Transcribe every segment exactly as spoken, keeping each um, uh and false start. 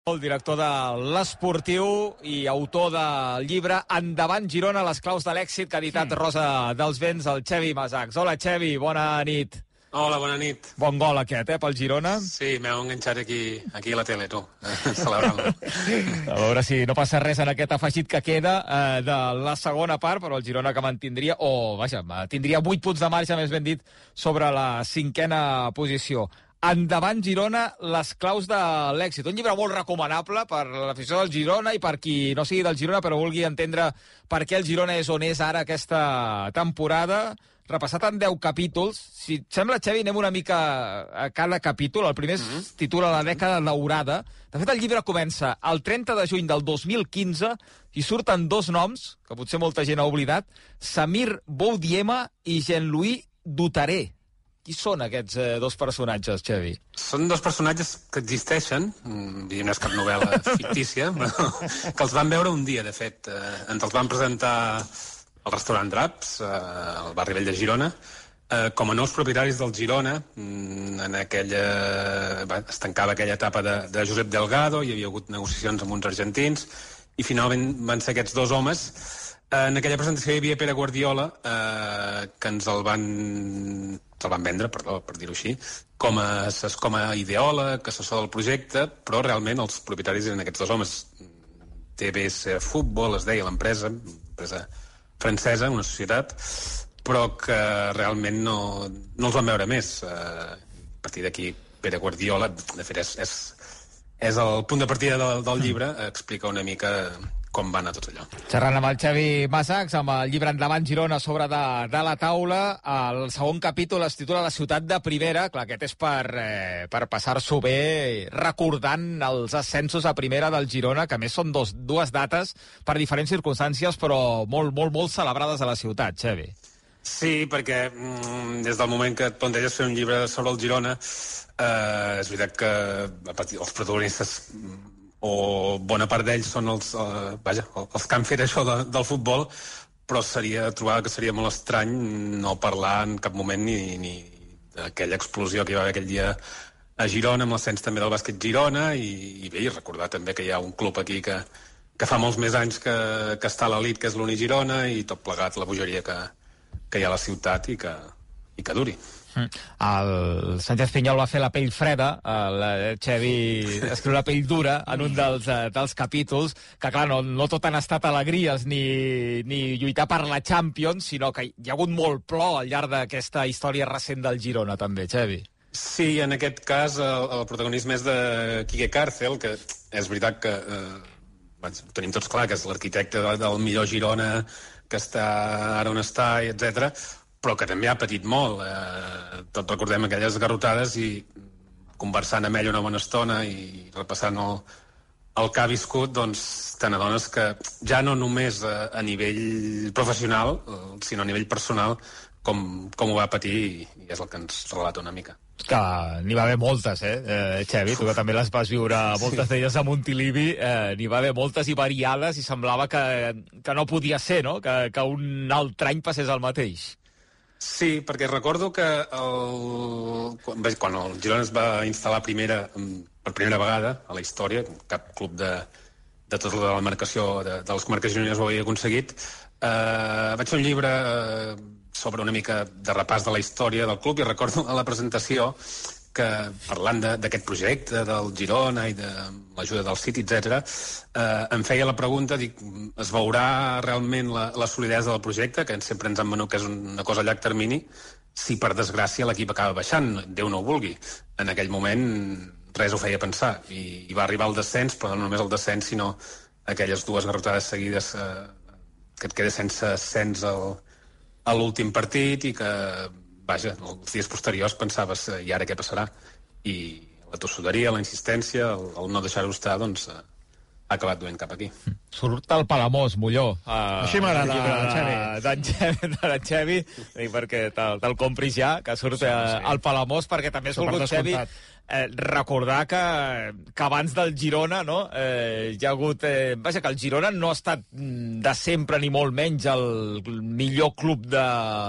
El director de l'Esportiu i autor del llibre Endavant Girona, les claus de l'èxit, que ha editat Rosa dels Vents, el Xevi Masachs. Hola, Xevi, bona nit. Hola, bona nit. Bon gol aquest, eh, pel Girona. Sí, m'heu enganxat aquí, aquí a la tele, tu, celebrant-lo. A veure si no passa res en aquest afegit que queda eh, de la segona part, però el Girona que mantindria, o, vaja, tindria vuit punts de marge, més ben dit, sobre la cinquena posició. Endavant Girona, les claus de l'èxit. Un llibre molt recomanable per l'afició del Girona i per qui no sigui del Girona però vulgui entendre per què el Girona és on és ara aquesta temporada. Repassat en deu capítols. Si et sembla, Xevi, anem una mica a cada capítol. El primer es mm-hmm. titula La dècada daurada. De fet, el llibre comença el trenta de juny del dos mil quinze i surten dos noms, que potser molta gent ha oblidat, Samir Boudiema i Jean-Louis Dutaré. Qui són aquests eh, dos personatges, Xevi? Són dos personatges que existeixen, no és cap novel·la fictícia, però que els van veure un dia, de fet. Eh, ens els van presentar al restaurant Draps, eh, al barri vell de Girona, eh, com a nous propietaris del Girona. En aquella... Bé, es tancava aquella etapa de, de Josep Delgado, hi havia hagut negociacions amb uns argentins, i finalment van ser aquests dos homes. En aquella presentació hi havia Pere Guardiola, eh, que ens el van... se'l van vendre, perdó, per dir-ho així, com a, com a ideòleg, assessor del projecte, però realment els propietaris eren aquests dos homes. T B S Futbol, es deia l'empresa, empresa francesa, una societat, però que realment no, no els van veure més. A partir d'aquí, Pere Guardiola, de fet, és, és, és el punt de partida del, del llibre, explica una mica com va anar tot allò. Xerrant amb el Xevi Masachs, amb el llibre Endavant Girona sobre de, de la taula, el segon capítol es titula La ciutat de primera. Clar, aquest és per, eh, per passar-s'ho bé recordant els ascensos a primera del Girona, que a més són dos, dues dates per diferents circumstàncies, però molt, molt, molt celebrades a la ciutat, Xevi. Sí, perquè mm, des del moment que et planteges fer un llibre sobre el Girona, eh, és veritat que a partir dels protagonistes o bona part d'ells són els, eh, vaja, els que han fet això de, del futbol, però seria trobar que seria molt estrany no parlar en cap moment ni, ni d'aquella explosió que hi va haver aquell dia a Girona, amb l'ascens també del bàsquet Girona, i, i bé, i recordar també que hi ha un club aquí que, que fa molts més anys que, que està a l'elit, que és l'Uni Girona, i tot plegat la bogeria que, que hi ha a la ciutat i que, i que duri. El Sánchez Pinyol va fer la pell freda, el Xevi escriu la pell dura en un dels, dels capítols, que clar, no, no tot han estat alegries ni, ni lluitar per la Champions, sinó que hi ha hagut molt plor al llarg d'aquesta història recent del Girona també, Xevi. Sí, en aquest cas el, el protagonisme és de Quique Cárcel, que és veritat que eh, ho tenim tots clar, que és l'arquitecte del millor Girona, que està ara on està, etcètera, però que també ha patit molt. Eh, tots recordem aquelles garrotades i conversant amb ell una bona estona i repassant el, el que ha viscut, doncs te n'adones que ja no només a, a nivell professional, sinó a nivell personal, com, com ho va patir, i, i és el que ens relata una mica. Que n'hi va haver moltes, eh, eh Xevi, tu que també les vas viure moltes sí. d'elles a Montilivi, eh, n'hi va haver moltes i variades i semblava que, que no podia ser, no?, que, que un altre any passés el mateix. Sí, perquè recordo que el, quan, quan el Girona es va instal·lar primera, per primera vegada a la història, cap club de, de tota la demarcació de, de les comarques gironines ho havia aconseguit, eh, vaig fer un llibre eh, sobre una mica de repàs de la història del club, i recordo a la presentació que, parlant d'aquest projecte del Girona i de l'ajuda del City, etcètera, eh, em feia la pregunta, dic, es veurà realment la, la solidesa del projecte, que sempre ens han venut que és una cosa a llarg termini, si per desgràcia l'equip acaba baixant, Déu no ho vulgui. En aquell moment res ho feia pensar, i, i va arribar el descens, però no només el descens, sinó aquelles dues garrotades seguides, eh, que et quedes sense ascens al, a l'últim partit, i que vaja, els dies posteriors pensaves, i ara què passarà? I la tossuderia, la insistència, el, el no deixar-ho estar, doncs ha acabat duent cap aquí. Surt el Palamós, Molló. Uh, Així m'agrada, Xevi. D'en Xevi, de Xevi, perquè te'l te compris ja, que surt sí, sí. el Palamós, perquè també has volgut, Xevi, eh, recordar que, que abans del Girona, no?, eh, hi ha hagut... Eh, vaja, que el Girona no ha estat de sempre, ni molt menys, el millor club de,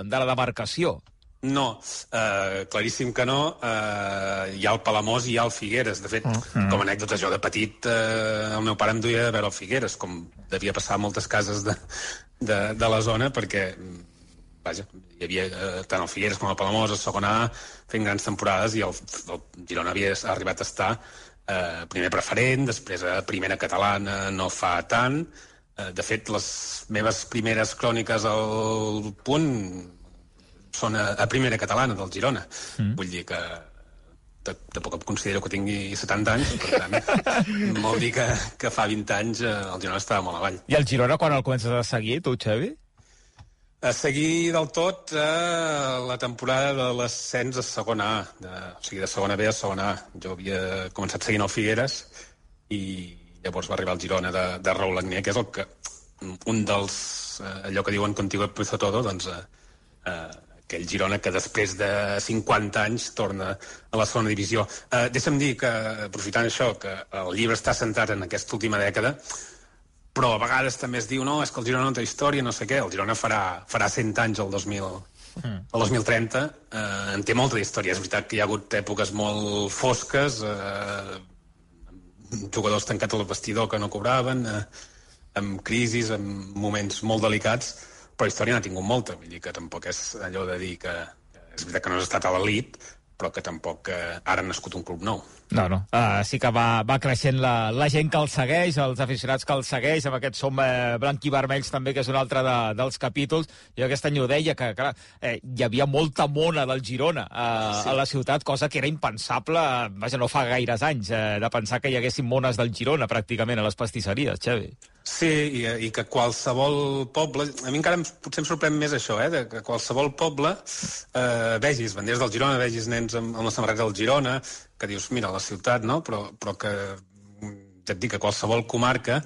de la demarcació. No, uh, claríssim que no. Uh, hi ha el Palamós i hi ha el Figueres. De fet, mm. com a anècdota, jo de petit, uh, el meu pare em duia a veure el Figueres, com devia passar a moltes cases de, de, de la zona, perquè, vaja, hi havia uh, tant el Figueres com el Palamós a segona A fent grans temporades, i el, el Girona havia arribat a estar uh, primer preferent, després a primera catalana no fa tant. Uh, de fet, les meves primeres cròniques al Punt són a, a primera catalana del Girona. Mm. Vull dir que tampoc em considero que tingui setanta anys, per tant, vol dir que, que fa vint anys el Girona estava molt avall. I el Girona quan el comences a seguir, tu, Xavi? A seguir del tot eh, la temporada de l'ascens a segona A, de, o sigui, de segona B a segona A. Jo havia començat seguint el Figueres i llavors va arribar el Girona de, de Raúl Agné, que és el que, un dels, eh, allò que diuen contigo empezó todo, doncs... Eh, eh, aquell Girona que després de cinquanta anys torna a la segona divisió. Uh, deixa'm dir que, aprofitant això, que el llibre està centrat en aquesta última dècada, però a vegades també es diu, no, és que el Girona no té història, no sé què. El Girona farà, farà cent anys el dos mil, mm. el dos mil trenta. Uh, en té molta història. És veritat que hi ha hagut èpoques molt fosques, uh, jugadors tancats al vestidor que no cobraven, uh, amb crisis, amb moments molt delicats, però història n'ha tingut molta, vull dir que tampoc és allò de dir que, que és veritat que no has estat a l'elit, però que tampoc que ara ha nascut un club nou. No, no, uh, sí que va, va creixent la, la gent que el segueix, els aficionats que el segueix, amb aquest som eh, blanc i vermells també, que és un altre de, dels capítols. Jo aquest any ho deia, que clar, eh, hi havia molta mona del Girona eh, sí. a la ciutat, cosa que era impensable, eh, vaja, no fa gaires anys, eh, de pensar que hi haguessin mones del Girona pràcticament a les pastisseries, Xavi. Sí, i, i que qualsevol poble... A mi encara em, potser em sorprèn més això, eh? De que qualsevol poble eh, vegis banderes del Girona, vegis nens amb, amb la samarreta del Girona, que dius, mira, la ciutat, no? Però, però que, ja et dic, que qualsevol comarca,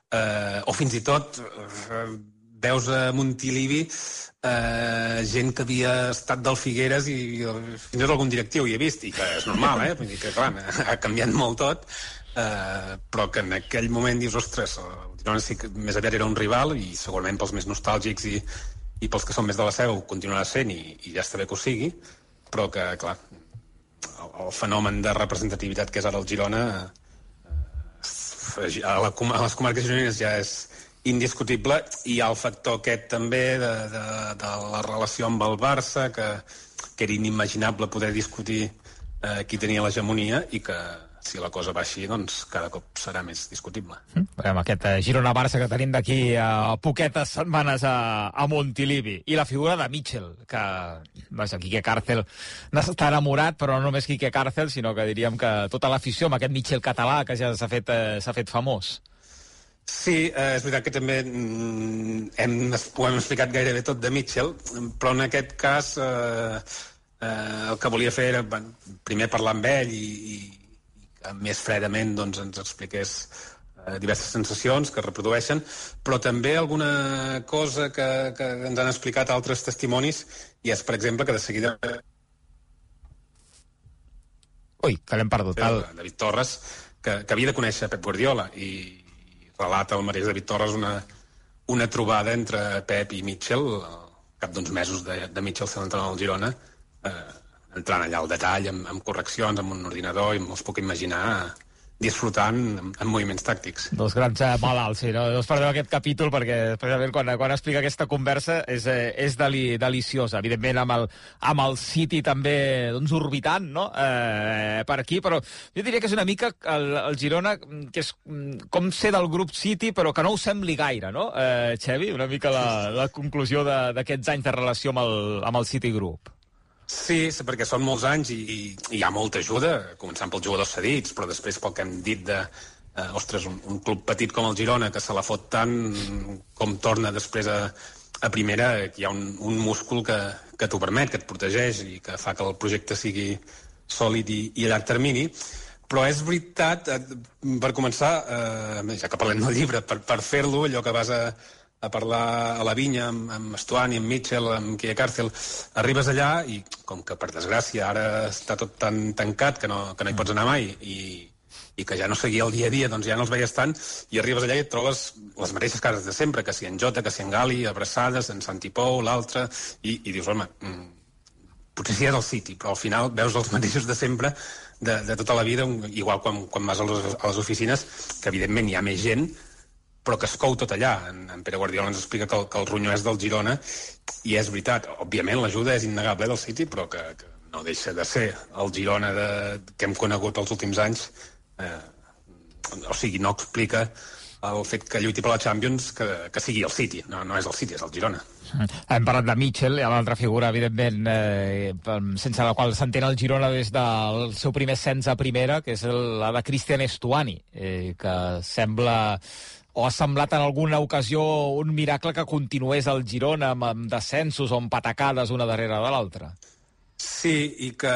eh, o fins i tot eh, veus a Montilivi eh, gent que havia estat del Figueres i, i fins i tot algun directiu hi he vist, i que és normal, eh? Vull dir que, clar, ha canviat molt tot, eh, però que en aquell moment dius, ostres, el Girona sí que més aviat era un rival, i segurament pels més nostàlgics i, i pels que són més de la Seu continuarà sent, i, i ja està bé que ho sigui, però que, clar, el, el fenomen de representativitat que és ara el Girona eh, a, la, a les comarques gironines ja és indiscutible, i hi ha el factor aquest també de, de, de la relació amb el Barça, que, que era inimaginable poder discutir eh, qui tenia l'hegemonia, i que si la cosa va així, doncs cada cop serà més discutible. Mm. Veiem aquest eh, Girona-Barça que tenim d'aquí a poquetes setmanes a, a Montilivi. I la figura de Mitchell, que, vaja, Quique Càrcel n'està enamorat, però no només Quique Càrcel, sinó que diríem que tota l'afició amb aquest Mitchell català que ja s'ha fet, eh, s'ha fet famós. Sí, eh, és veritat que també mm, hem, ho hem explicat gairebé tot de Mitchell, però en aquest cas eh, eh, el que volia fer era, bueno, primer parlar amb ell i, i més fredament doncs, ens expliqués eh, diverses sensacions que es reprodueixen, però també alguna cosa que, que ens han explicat altres testimonis, i és, per exemple, que de seguida... Ui, que l'hem perdut. El... David Torres, que, que havia de conèixer Pep Guardiola, i, i relata el mateix David Torres una, una trobada entre Pep i Mitchell, al cap d'uns mesos de, de Mitchell sent l'entrenador del Girona, eh, entrant allà al detall, amb, amb correccions, amb un ordinador, i me'ls puc imaginar disfrutant amb, amb moviments tàctics. Dos grans eh, malalts, sí, no? No us perdeu aquest capítol, perquè especialment quan, quan explica aquesta conversa és, eh, és deli, deliciosa. Evidentment amb el, amb el City també doncs, orbitant, no? Eh, per aquí, però jo diria que és una mica el, el Girona, que és com ser del grup City, però que no ho sembli gaire, no? Eh, Xavi, una mica la, la conclusió d'aquests anys de relació amb el, amb el City Group. Sí, perquè són molts anys i, i, i hi ha molta ajuda, començant pels jugadors cedits, però després pel que hem dit de, eh, ostres, un, un club petit com el Girona, que se la fot tant com torna després a, a primera, que hi ha un, un múscul que, que t'ho permet, que et protegeix i que fa que el projecte sigui sòlid i, i a llarg termini. Però és veritat, eh, per començar, eh, ja que parlem del llibre, per, per fer-lo, allò que vas a... a parlar a la vinya amb, amb Estuani, amb Mitchell, amb Quique Càrcel, arribes allà i, com que per desgràcia ara està tot tan tancat que no, que no hi pots anar mai, i, i que ja no seguia el dia a dia, doncs ja no els veies tant, i arribes allà i et trobes les mateixes cases de sempre, que si en Jota, que si en Gali, abraçades, en Santi Pou, l'altre, i, i dius, home, potser sí és el City, però al final veus els mateixos de sempre, de, de tota la vida, igual quan, quan vas a les, a les oficines, que evidentment hi ha més gent, però que es cou tot allà. En, en Pere Guardiola ens explica que el, que el ronyó és del Girona, i és veritat, òbviament l'ajuda és innegable del City, però que, que no deixa de ser el Girona de, que hem conegut els últims anys. Eh, o sigui, no explica el fet que lluiti per la Champions que, que sigui el City. No, no és el City, és el Girona. Hem parlat de Mitchell, hi ha una altra figura, evidentment, eh, sense la qual s'entén el Girona des del seu primer ascens a primera, que és el, la de Cristian Estuani, eh, que sembla, o ha semblat en alguna ocasió un miracle que continués el Girona amb, amb descensos o amb patacades una darrere de l'altra. Sí, i que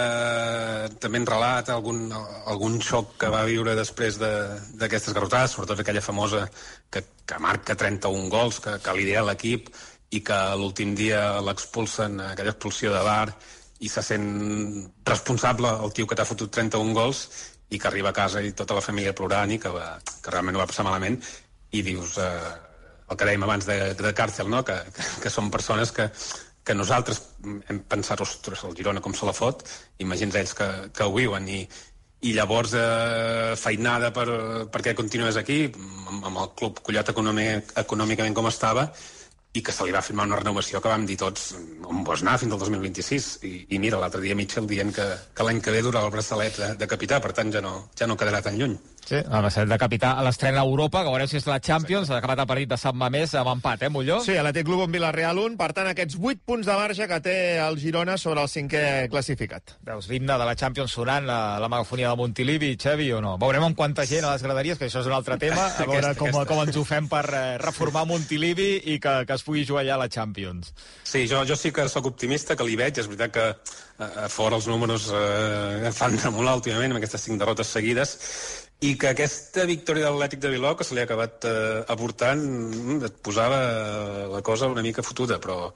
també en relata algun, algun xoc que va viure després d'aquestes garrotades, sobretot aquella famosa que, que marca trenta-un gols, que, que lidera l'equip, i que l'últim dia l'expulsen, aquella expulsió de V A R, i se sent responsable el tio que t'ha fotut trenta-un gols, i que arriba a casa i tota la família plorant, i que, va, que realment ho va passar malament, i dius, eh, el que dèiem abans de, de càrcel, no? que, que, que són persones que, que nosaltres hem pensat, ostres, el Girona com se la fot, imagins ells que, que ho viuen, i, i llavors eh, feinada per, perquè continués aquí, amb, amb el club collat econòmic, econòmicament com estava, i que se li va firmar una renovació que vam dir tots on vols anar fins al dos mil vint-i-sis, i, i mira, l'altre dia Mitchell dient que, que l'any que ve durarà el braçalet de, de capità, per tant ja no, ja no quedarà tan lluny. Sí, el braçalet de capità a l'estrena a Europa, que veurem si és la Champions, s'ha acabat el partit de Sant Mamés amb empat, eh, Molló? Sí, l'Atlètic Club amb Villarreal un, per tant aquests vuit punts de marge que té el Girona sobre el cinquè classificat. Veus l'himne de la Champions sonant a la megafonia de Montilivi, Xevi, o no? Veurem amb quanta gent a les graderies, que això és un altre tema, a veure aquesta, com, aquesta. com ens ho fem per eh, reformar Montilivi i que, que es pugui jugar allà a la Champions. Sí, jo, jo sí que sóc optimista, que li veig. És veritat que a fora els números eh, fan tremolar últimament amb aquestes cinc derrotes seguides, i que aquesta victòria de l'Atlètic de Bilbao, que se li ha acabat eh, aportant, et posava la cosa una mica fotuda, però,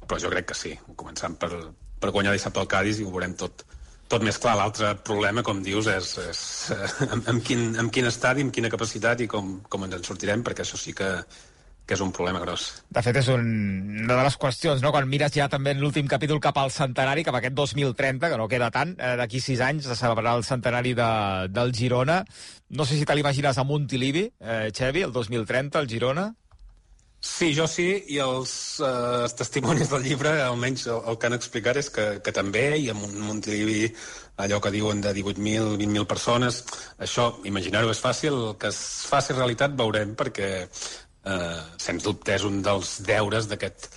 però jo crec que sí, començant per, per guanyar dissabte al Cádiz, i ho veurem tot, tot més clar. L'altre problema, com dius, és, és eh, amb, amb, quin, amb quin estadi, amb quina capacitat i com, com ens en sortirem, perquè això sí que que és un problema gros. De fet, és un, una de les qüestions, no? Quan mires ja també en l'últim capítol cap al centenari, cap a aquest dos mil trenta, que no queda tant, eh, d'aquí sis anys se celebrarà el centenari de, del Girona. No sé si te l'imagines a Montilivi, eh, Xevi, el dos mil trenta, el Girona? Sí, jo sí, i els, eh, els testimonis del llibre, almenys el, el que han explicat és que, que també, i amb un Montilivi allò que diuen de divuit mil, vint mil persones, això, imaginar-ho és fàcil, que es faci realitat veurem, perquè Uh, sens dubte és un dels deures d'aquest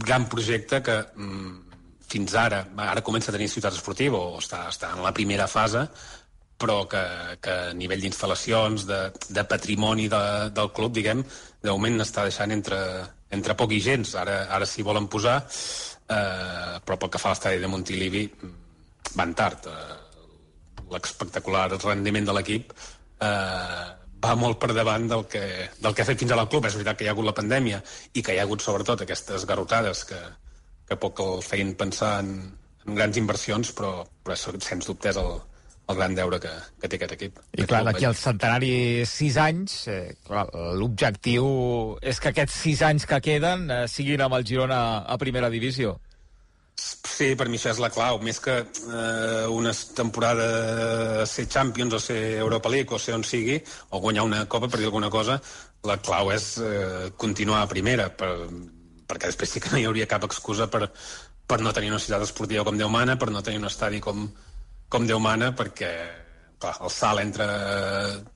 gran projecte que mm, fins ara, ara comença a tenir ciutat esportiva o està, està en la primera fase, però que, que a nivell d'instal·lacions, de, de patrimoni de, del club, diguem, de moment està deixant entre, entre poc i gens. Ara, ara s'hi volen posar, uh, però pel que fa a l'estadi de Montilivi van tard. Uh, l'espectacular rendiment de l'equip uh, va molt per davant del que, del que ha fet fins ara el club. És veritat que hi ha hagut la pandèmia i que hi ha hagut sobretot aquestes garrotades que, que poc el feien pensar en, en grans inversions, però, però sens dubte és el, el gran deure que, que té aquest equip. I clar, d'aquí al centenari sis anys, eh, l'objectiu és que aquests sis anys que queden eh, siguin amb el Girona a primera divisió. Sí, per mi això és la clau, més que eh, una temporada ser Champions o ser Europa League o ser on sigui, o guanyar una copa, per dir alguna cosa, la clau és eh, continuar a primera, per, perquè després sí que no hi hauria cap excusa per, per no tenir una ciutat esportiva com Déu mana, per no tenir un estadi com, com Déu mana, perquè clar, el salt entre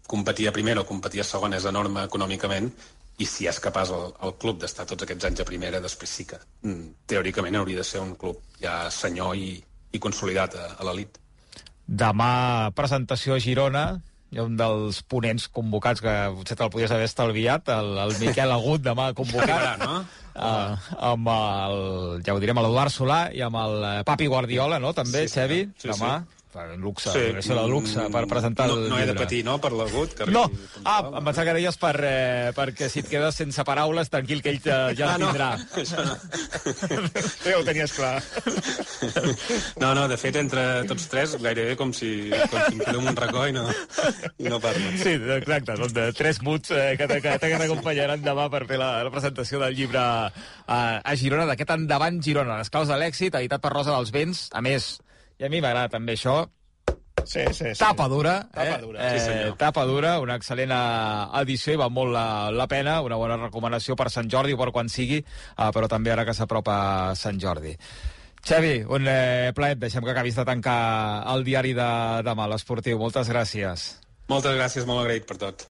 competir a primera o competir a segona és enorme econòmicament, i si és capaç el, el club d'estar tots aquests anys a primera, després sí que mm, teòricament hauria de ser un club ja senyor i, i consolidat a, a l'elit. Demà presentació a Girona, hi ha un dels ponents convocats que potser te'l podies haver estalviat, el, el Miquel Agut, demà convocat, no? uh, amb el, ja ho direm, l'Eduard Solà i amb el Papi Guardiola, no? També, sí, sí, Xevi, sí, demà. Sí. luxe, sí. Això de luxe, per presentar no, el no llibre. he de patir, no?, per l'agut. No, ah, em pensava que deies per, eh, perquè si et quedes sense paraules, tranquil, que ell ja, ja ah, el tindrà. No, això no. Ja ho tenies clar. No, no, de fet, entre tots tres, gairebé com si, com si em quedo en un racó i no, i no parlo. Sí, exacte, són de tres muts eh, que, que, que t'acompanyaran demà per fer la, la presentació del llibre a, a Girona, d'aquest Endavant Girona, les claus de l'èxit, editat per Rosa dels Vents. A més, i a mi m'agrada també això, sí, sí, sí. tapa dura, tapa eh? dura. Eh, sí, tapa dura, una excel·lent edició i val molt la, la pena, una bona recomanació per Sant Jordi o per quan sigui, eh, però també ara que s'apropa Sant Jordi. Xavi, un eh, plaer, deixem que acabis de tancar el diari de demà, l'Esportiu. Moltes gràcies. Moltes gràcies, molt agraït per tot.